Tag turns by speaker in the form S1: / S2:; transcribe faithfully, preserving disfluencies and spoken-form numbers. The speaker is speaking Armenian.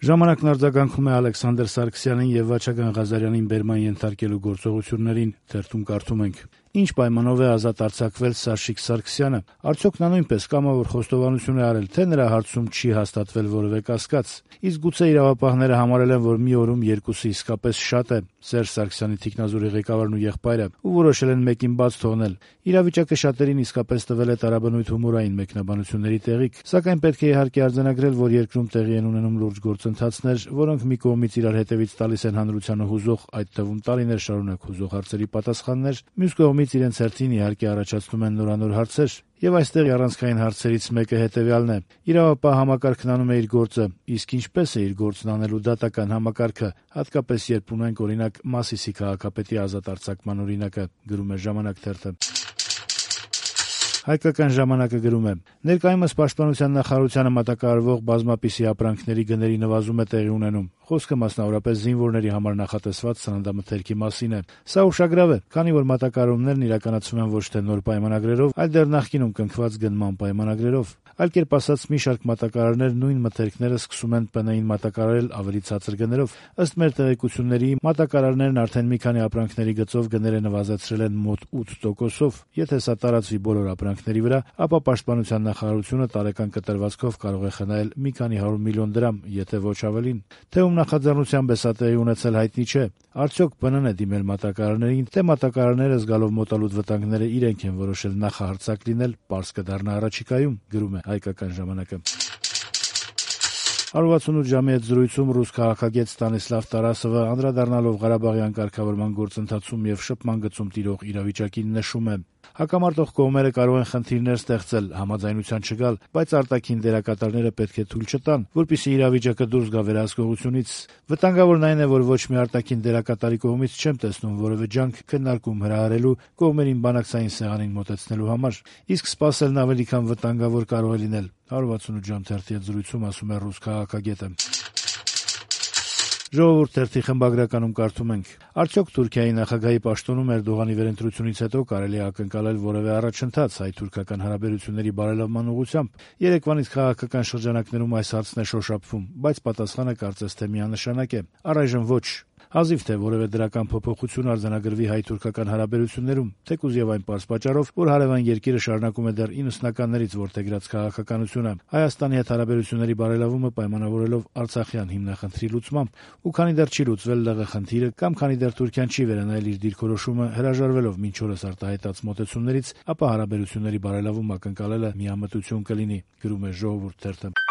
S1: Ժամանակն արձագանքում է Ալեքսանդր Սարգսյանին եւ Վաչագան Ղազարյանին բերման ենթարկելու գործողություններին, թերթում կարդում ենք. Ինչ պայմանով է ազատ արձակվել Սաշիկ Սարգսյանը, արդյոք նա նույնպես կամավոր խոստովանություն է արել, թե նրա հարցում չի հաստատվել որևէ կասկած, իսկ գուցե իրավապահները համարել են, որ մի օրում երկուսը իսկապես շատ է, Սերժ Սարգսյանի թիկնազորի ղեկավարն ու եղբայրը, ու որոշել են մեկին բաց թողնել։ Իրավիճակը շատերին իսկապես տվել է տարաբնույթ հումորային մեկնաբանությունների տեղիք, սակայն պետք է իհարկե արձանագրել, որ երկրում տեղի են ունենում լուրջ գործընթացներ, որոնք մի կողմից իրար հետևից տալիս են հանրությանը հուզող, այդ թվում տարիներ շարունակ հուզող հարցերի պատասխաններ, մյուս կողմից իրենց հերթին իհարկե առաջացնում են նորանոր հարցեր, եւ այստեղ առանցքային հարցերից մեկը հետեւյալն է. իրավապահ համակարգն անում է իր գործը, իսկ ինչպես է իր գործն անելու դատական համակարգը, հատկապես երբ ունենք օրինակ Մասիսի քաղաքապետի ազատ արձակման օրինակը, գրում է «Ժամանակ» թերթը։ Հայկական ժամանակը գրում է. ներկայումս Պաշտպանության նախարարությանը մատակարարվող բազմապիսի ապրանքների գների նվազում է տեղի ունենում։ Խոսքը մասնավորապես զինվորների համար նախատեսված սննդամթերքի մասին է։ Սա ուշագրավ է, քանի որ մատակարարումներն իրականացվում են ոչ թե նոր պայմանագրերով, այլ դեռ նախկինում կնքված գնման պայմանագրերով։ Այլ կերպ ասած, մի շարք մատակարարներ նույն մթերքները սկսում են ՊՆ-ին մատակարարել ավելի ցածր գներով։ Ըստ մեր տեղեկությունների, մատակարարներն արդեն մի քանի ապրանքների գծով գները նվազեցրել են մոտ ութ տոկոսով։ Եթե սա տարածվի բոլոր ապրանքների վրա, ապա Պաշտպանության նախարարությունը տարեկան կտրվածքով կարող է խնայել մի քանի հարյուր միլիոն դրամ, եթե ոչ ավելին։ Թե ում նախաձեռնությամբ է սա տեղի ունեցել, հայտնի չէ։ Արդյոք ՊՆ-ն է դիմել մատակարարներին, թե մատակարարները զգալով մոտալուտ վտանգները իրենք են որոշել նախահարձակ լինել, պարզ կդառնա առաջիկայում, գրում է Հայկական ժամանակը։ հարյուր վաթսունութ ժամի հետ զրույցում ռուս քաղաքագետ Ստանիսլավ Տարասովը անդրադառնալով Ղարաբաղյան կարգավորման գործընթացում եւ շփման գծում տիրող իրավիճակին նշում է. հակամարտող կողմերը կարող են խնդիրներ ստեղծել, համաձայնության չգալ, բայց արտաքին դերակատարները պետք է թույլ չտան, որպեսզի իրավիճակը դուրս գա վերահսկողությունից։ Վտանգավորն այն է, որ ոչ մի արտաքին դերակատարի կողմից չեմ տեսնում որևէ ջանք քննարկում հրահարելու, կողմերին բանակցային սեղանին մոտեցնելու համար, իսկ սպասելն ավելի քան վտանգավոր կարող է լինել, հարյուր վաթսունութ ժամ թերթի հետ զրույցում ասում է ռուս քաղաքագետը։ Ժողովուրդ թերթի խմբագրականում կարդում ենք. արդյոք Թուրքիայի նախագահի պաշտոնում Էրդողանի վերընտրությունից հետո կարելի է ակնկալել որևէ առաջընթաց հայ-թուրքական հարաբերությունների բարելավման ուղղությամբ։ Երեկվանից քաղաքական շրջանակներում այս հարցն է շոշափվում, բայց պատասխանը կարծես թե միանշանակ է. առայժմ ոչ։ Հազիվ թե որևէ դրական փոփոխություն արձանագրվի հայ-թուրքական հարաբերություններում, թեկուզ եւ այն պարզ պատճառով, որ հարևան երկիրը շարունակում է դեռ իննսունականներից որդեգրած քաղաքականությունը, Հայաստանի հետ հարաբերությունների բարելավումը պայմանավորելով Արցախյան հիմնախնդրի լուծմամբ, ու քանի դեռ չի լուծվել ԼՂ խնդիրը կամ քանի դեռ Թուրքիան չի վերանայել իր դիրքորոշումը հրաժարվելով մինչ օրս արտահայտած մոտեցումներից, ապա հարաբերությունների բարելավում ակնկալելը միամտություն կլինի, գրում է Ժողովուրդ թերթը։